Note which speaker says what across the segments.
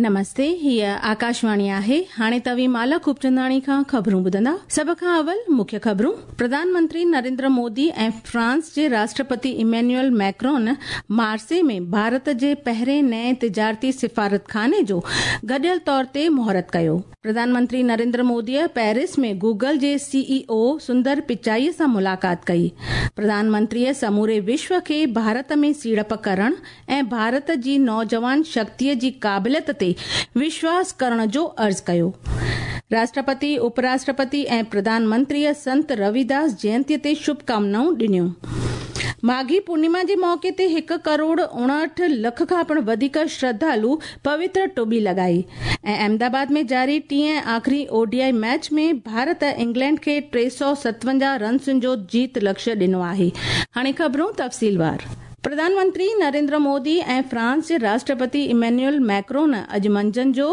Speaker 1: نمستي، هيء آڪاشواڻي آهي. هاڻي توهين مالا خوبچنداڻي کان خبرون ٻڌندا. سڀ کان اول مکيه خبرون. پرڌان منتري نريندر مودي ۽ فرانس جي راشٽرپتي ايمينيول ميڪرون مارسي ۾ ڀارت جي پهرين نئين تجارتي سفارتخاني جو گڏيل طور تي مهورت ڪيو. پرڌان منتري نريندر موديء پيرس ۾ گوگل جي سي اي او سندر پچائي سان ملاقات ڪئي. پرڌان منتريء سموري وشو کي ڀارت ۾ سيڙپ ڪرڻ ۽ ڀارت جي نوجوان شڪتيء جي قابليت تي وشواس ڪرڻ جو عرض ڪيو. راشٽرپتي، اپ راشٽرپتي ۽ پرڌان منتريء سنت رويداس جينتيء تي شڀڪامنائون ڏنيون. ماگهي پورنيما جي موقعي تي هڪ ڪروڙ 59 لک کان پڻ وڌيڪ شرڌالو پوتر ٽٻي لڳائي ۽ احمد آباد ۾ جاري ٽئين ۽ آخري O D I match ۾ Bharat England کي 357 رنسن جو جيت لڪشيه ڏنو آهي. هاڻي خبرون تفصيلوار. پرڌان منتري نريندر مودي ۽ فرانس جي راشٽرپتي ايمينيول ميڪرون اڄ منجهند جو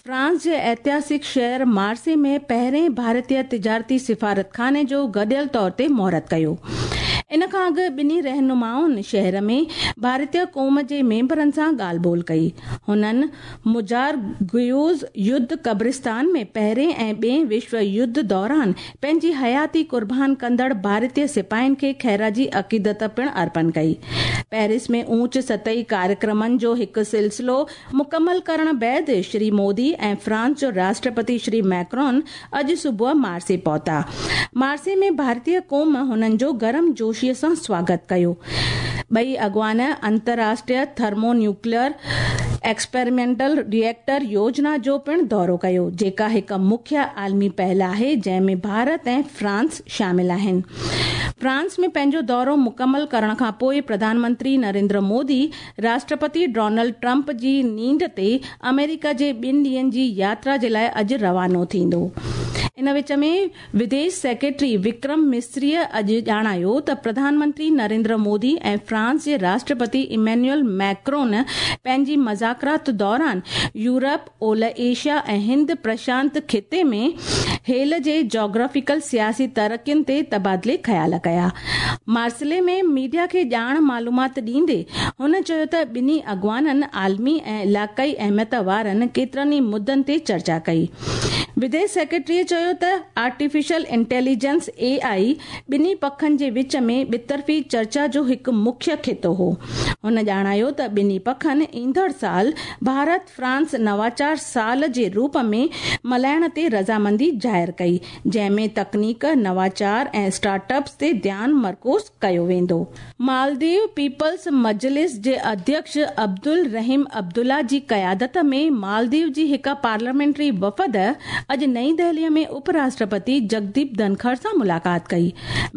Speaker 1: فرانس جي ائتهاسڪ شهر مارسي ۾ پهرين ڀارتي تجارتي سفارتخاني جو گڏيل طور تي مهورت ڪيو. ان کان اڳ ٻنهي رهنمائن شهر ۾ ڀارتي قوم جي ميمبرن سان ڳالهه ٻولهه ڪئي. هنن مجارگيوز يڌ قبرستان ۾ پهرين ۽ ٻئين وشو يڌ دوران پنهنجي حياتي قربان ڪندڙ ڀارتي سپاهين کي خراج عقيدت پڻ ارپڻ ڪئي. پيرس ۾ اوچ سطحي ڪاريڪرمن جو هڪ سلسلو مڪمل ڪرڻ بعد شري مودي ۽ فرانس جو راشٽرپتي شري ميڪرون اڄ صبح مارسي پهتا. مارسي ۾ ڀارتي قوم هنن جو گرم جوشي سان سواگت ڪيو. ٻئي اڳواڻ انترراشٽريه ٿرمو نيوڪليئر ايڪسپيريمينٽل ريئيڪٽر يوجنا جو پڻ دورو ڪيو، جيڪا هڪ مکيه عالمي پهل آهي، جنهن ۾ ڀارت ۽ فرانس شامل آهن. فرانس ۾ پنهنجو دورو مڪمل ڪرڻ کان پوء پرڌان منتري نريندر مودي راشٽرپتي ڊونلڊ ٽرمپ جي نينڍ تي آمريڪا جي ٻن ڏينهن جي ياترا جي لاء اڄ روانو ٿيندو. ان وچ ۾ وديش سيڪريٽري وڪرم مصريء اڄ ڄاڻايو ته پرڌان منتري نريندر مودي ۽ فرانس جي راشٽرپتي ايمينيول ميڪرون پنهنجي مذاڪرات دوران يورپ، اولهه ايشيا ۽ هند پرشانت خطي ۾ هيل جي جاگرافيڪل سياسي ترقين تي تبادلي خيال ڪيا. مارسلي ۾ ميڊيا کي ڄاڻ معلومات ڏيندي هن چيو ته ٻنهي اڳواڻن عالمي ۽ علائقائي اهميت وارن ڪيترن ئي مدن تي چرچا ڪئي. وديش سيڪريٽريء چيو ته آرٽيفيشل انٽيليجنس، اي آء، ٻنهي پکن جي وچ ۾ ٻطرفي چرچا جو هڪ مکيه خطو هو. هن ڄاڻايو ته ٻنهي پکن ايندڙ سال ڀارت فرانس نواچار سال جي روپ ۾ ملهائڻ تي رضامندي ظاهر ڪئي، جنهن ۾ تڪنيڪ، نواچار ۽ اسٽارٽ اپس تي ڌيان مرڪوز ڪيو ويندو. مالديو پيپلز مجلس جي اڌيڪش عبدالرحيم عبدالله جي قيادت ۾ مالديو جي هڪ پارليامينٽري وفد اڄ نئين دهلي ۾ اپ راشٽرپتي جگديپ ڌنکڙ سان ملاقات ڪئي.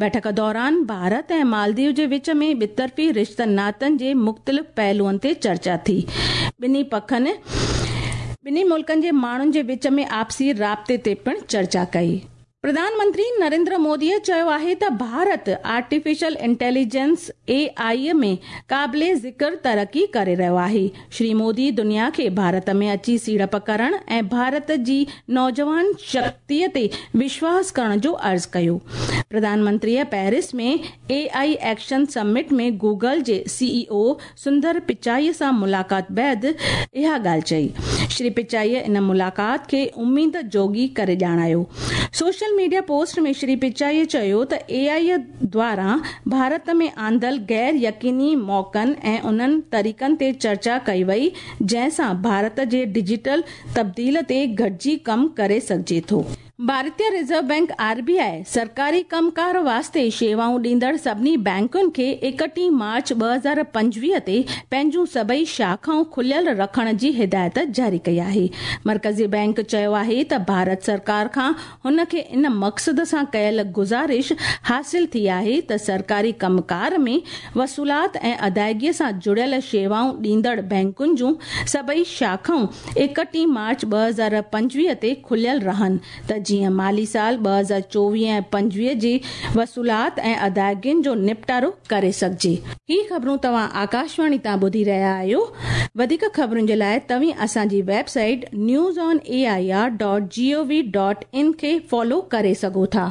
Speaker 1: بيٺڪ دوران ڀارت ۽ مالديو جي وچ ۾ ٻطرفي رشتن ناتن جي مختلف پهلوئن تي چرچا ٿي. ٻنهي پکن ٻنهي ملڪن جي ماڻهن جي وچ ۾ آپسي رابطي تي پڻ چرچا ڪئي. پرڌان منتري نريندر موديء چيو آهي ته ڀارت آرٽيفيشل انٽيليجنس، اي آء، ۾ قابل ذڪر ترقي ڪري رهيو آهي. شري مودي دنيا کي ڀارت ۾ اچي سيڙپ ڪرڻ ۽ ڀارت جي نوجوان شڪتيء تي وشواس ڪرڻ جو عرض ڪيو. پرڌان منتريء Paris ۾ A I action summit ۾ Google جي سي اي او سندر پچائيء سان ملاقات بعد اها ڳالهه چئي. شري پچائيء ان ملاقات کي اميد جوڳي ڪري ڄاڻايو. سوشل ميڊيا پوسٽ ۾ شري پچائيء چيو ته اي آء دواران ڀارت ۾ آندل غير يقيني موقعن ۽ انهن طريقن تي چرچا ڪئي وئي جنهن سان ڀارت جي ڊجيٽل تبديل تي گڏجي ڪم ڪري سگهجي ٿو. ڀارتي ريزرو بئنڪ، آر بي آء، سرڪاري ڪم ڪار واسطي شيوائون ڏيندڙ سڀني بئنڪن کي 31 مارچ 2025 تي پنهنجون سڀئي شاخائون کليل رکڻ جي هدايت جاري ڪئي آهي. مرڪزي بئنڪ چيو آهي ته ڀارت سرڪار کان هن کي ان مقصد سان ڪيل گذارش حاصل ٿي آهي ته سرڪاري ڪم ڪار ۾ وصولات ۽ ادائگي سان جڙيل شيوائون ڏيندڙ بئنڪن جون سڀئي شاخائون 31 مارچ 2025 تي کليل رهن ته جيئن مالي سال 2024 ۽ 25 جي وصولات ۽ ادائگين جو نپٽارو ڪري سگهجي. هي خبرون توهان آڪاشواڻي تان ٻڌي رهيا آهيو. وڌيڪ خبرن جي لاء توهين اسان جي website news on A I R dot G O V dot in کي فالو ڪري سگهو ٿا.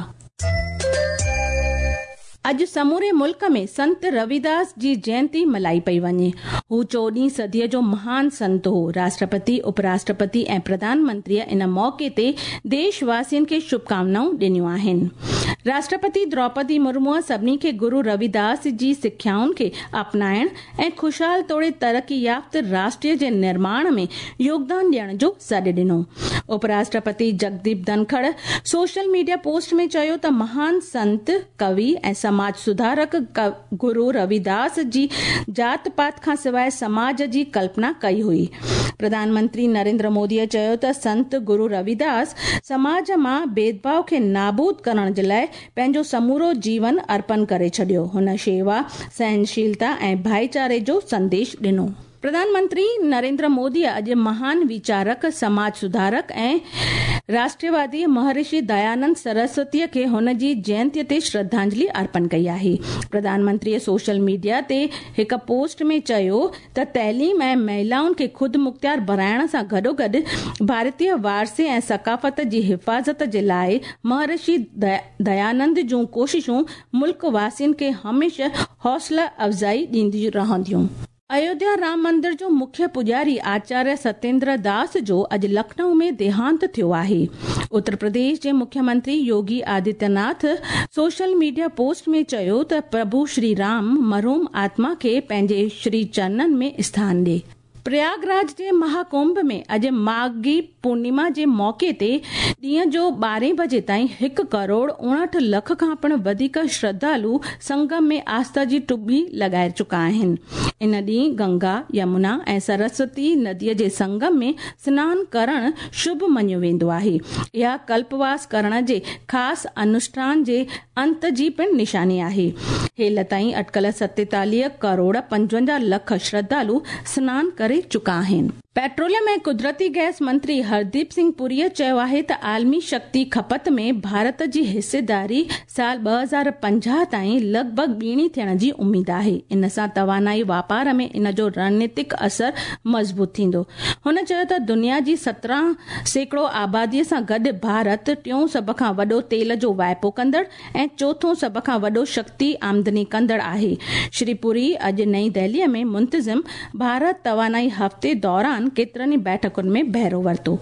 Speaker 1: اڄ سموري ملڪ ۾ سنت رويداس جي جينتي ملهائي پئي وڃي. هو 14هين صديءَ جو مهان سنت هو. راشٽرپتي، اپراشٽرپتي ۽ پرڌان منتريءَ ان موقعي تي ديش واسين کي شڀڪامنائون ڏنيون آهن. راشٽرپتي دروپدي مرموءَ سڀني کي گرو رويداس جي سکيائن کي اپنائڻ ۽ خوشحال توڙي ترقي يافته راشٽر جي نرماڻ ۾ يوگدان ڏيڻ جو سڏ ڏنو. اپراشٽرپتي جگديپ ڌنکڙ سوشل ميڊيا پوسٽ ۾ چيو ته مهان سنت، ڪوي ۽ سماج سڌارڪ گرو رويداس جي جات پات کان سواءِ سماج جي ڪلپنا ڪئي هئي. پرڌان منتري نريندر موديءَ چيو ته سنت گرو رويداس سماج مان ڀيد ڀاءُ کي نابود ڪرڻ جي لاءِ پنهنجو سمورو جيون ارپڻ ڪري ڇڏيو. هن شيوا، سهنشيلتا ۽ ڀائيچاري جو سنديش ڏنو. پرڌان منتري نريندر موديءَ اڄ مهان ويچارڪ، سماج سڌارڪ ۽ راشٽروادي مهرشي ديانند سرسوتيءَ کي هن جي جينتيءَ تي شرڌانجلي ارپڻ ڪئي آهي. پرڌان منتريءَ سوشل ميڊيا تي هڪ پوسٽ ۾ چيو ته تعليم ۽ مهلائن کي خود مختيار بڻائڻ سان گڏوگڏ ڀارتيه وارثي ۽ ثقافت جي حفاظت جي لاءِ مهرشي ديانند جون ڪوششون ملڪ واسين کي هميشه حوصله افزائي ڏينديون رهنديون. ايوڌيا رام مندر جو مکيه پوڄاري آچاريه ستيندر داس جو اڄ لکنؤ ۾ ديهانت ٿيو آهي. اتر پرديش جي مکيه منتري يوگي آدتيه ناٿ سوشل ميڊيا پوسٽ ۾ چيو ته پرڀو شري رام مرحوم آتما کي پنهنجي شري چرنن ۾ اسٿان ڏي. پرياگراج جي مهاڪنڀ ۾ اڄ ماگهي پورنما جي موقعي تي ڏينهن جو 12 بجي تائين 1 ڪروڙ 59 لک کان پڻ وڌيڪ شرڌالو سنگم ۾ آسٿا جي ٽٻي لڳائي چڪا آهن. ان ڏينهن گنگا، يمنا ۽ سرسوتي نديءَ جي سنگم ۾ سنان ڪرڻ شڀ مڃيو ويندو آهي. اها ڪلپواس ڪرڻ جي خاص انوشٺان جي انت جي پڻ نشاني آهي. هيل تائين اٽڪل 47 ڪروڙ 55 لک شرڌالو سنان ڪري چڪا آهن. پيٽروليم ۽ قدرتي گئس منتري هرديپ سنگهه پوريءَ چيو آهي ته عالمي شڪتي کپت ۾ ڀارت جي حصيداري سال 2050 تائين لڳ ڀڳ ٻيڻي ٿيڻ جي اميد آهي. ان سان توانائي واپار ۾ ان جو رڻنيتڪ اثر مضبوط ٿيندو. هن چيو ته دنيا جي 17% آباديءَ سان گڏ ڀارت ٽيون سڀ کان وڏو تيل جو واهپو ڪندڙ ۽ چوٿون سڀ کان وڏو شڪتي آمدني ڪندڙ آهي. شري پوري اڄ نئين دهليءَ ۾ منتظم ڀارت توانائي هفتي دوران ڪيترن ئي بيٺڪن ۾ بهرو ورتو.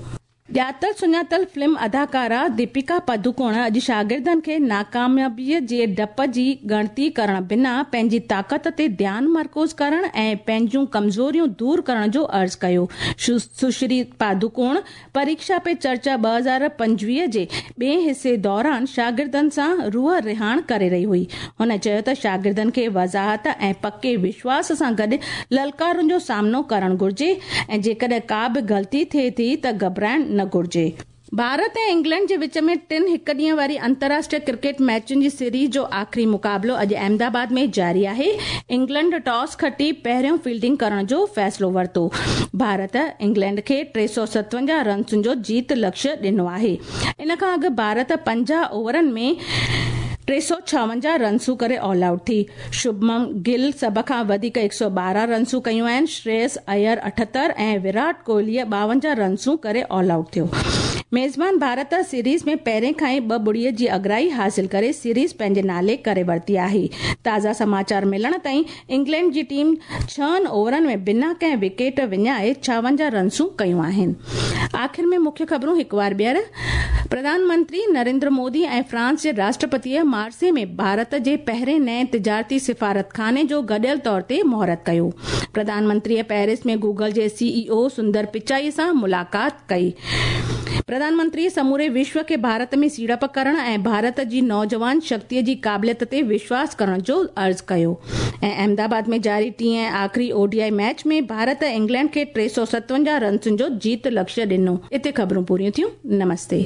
Speaker 1: ڄاتل سڃاتل فلم اداڪارا ديپيڪا پڊوڪون اڄ شاگردن کي ناڪاميابيءَ جي ڊپ جي ڳڻتي ڪرڻ بنا پنهنجي طاقت تي ڌيان مرڪوز ڪرڻ ۽ پنهنجون ڪمزوريون دور ڪرڻ جو عرض ڪيو. سشري پادوڪون پريڪشا پي چرچا 2025 جي ٻئي حصي دوران شاگردن سان روح رهاڻ ڪري رهي هئي. هن چيو ته شاگردن کي وضاحت ۽ پڪي وشواس سان گڏ للڪارن جو سامنو ڪرڻ گهرجي ۽ جيڪڏهن ڪا به غلطي ٿئي ٿي ته گهٻرائڻ نه گهرجي. ڀارت ۽ انگلينڊ جي وچ ۾ ٽن هڪ ڏينهن واري انترراشٽريه ڪرڪيٽ ميچن جي سيريز جو آخري مقابلو اڄ احمدآباد ۾ جاري آهي. انگلينڊ ٽاس کٽي پهريون فيلڊنگ ڪرڻ جو فيصلو ورتو. ڀارت انگلينڊ کي 357 رنسن جو جيت لڪشيه ڏنو آهي. ان کان اڳ ڀارت 50 اوورن ۾ 356 رنسون ڪري آل آئوٽ ٿي. شڀمن گل سڀ کان وڌيڪ 112 رنسون ڪيون آهن. شريس اير 78 ۽ ويرات ڪوهليءَ 52 رنسون ڪري آل آئوٽ ٿيو. ميزبان ڀارت سيريز ۾ پهرين کان ئي 2-0 جي اڳرائي حاصل ڪري سيريز پنهنجي نالي ڪري ورتي آهي. تازا سماچار ملڻ تائين انگلينڊ جي ٽيم 6 اوورن ۾ بنا ڪنهن وڪيٽ وڃائي 56 رنسون ڪيون آهن. آخر ۾ مکيه خبرون هڪ وار ٻيهر. پرڌان منتري نريندر مودي ۽ فرانس جي راشٽرپتيءَ مارسي ۾ ڀارت جي پهرين نئين تجارتي سفارتخاني جو گڏيل طور تي مهورت ڪيو. پرڌان منتريءَ پيرس ۾ گوگل جي سي اي او سندر پچائي سان ملاقات ڪئي. پرڌان منتري سموري وشو کي ڀارت ۾ سيڙپ ڪرڻ ۽ ڀارت جي نوجوان شڪتيءَ جي قابليت تي وشواس ڪرڻ جو عرض ڪيو. ۽ احمدآباد ۾ جاري ٽئين ۽ آخري O D I match ۾ Bharat England کي 357 رنسن جو جيت لڪشيه ڏنو. اتي خبرون پوريون ٿيون. نمستي.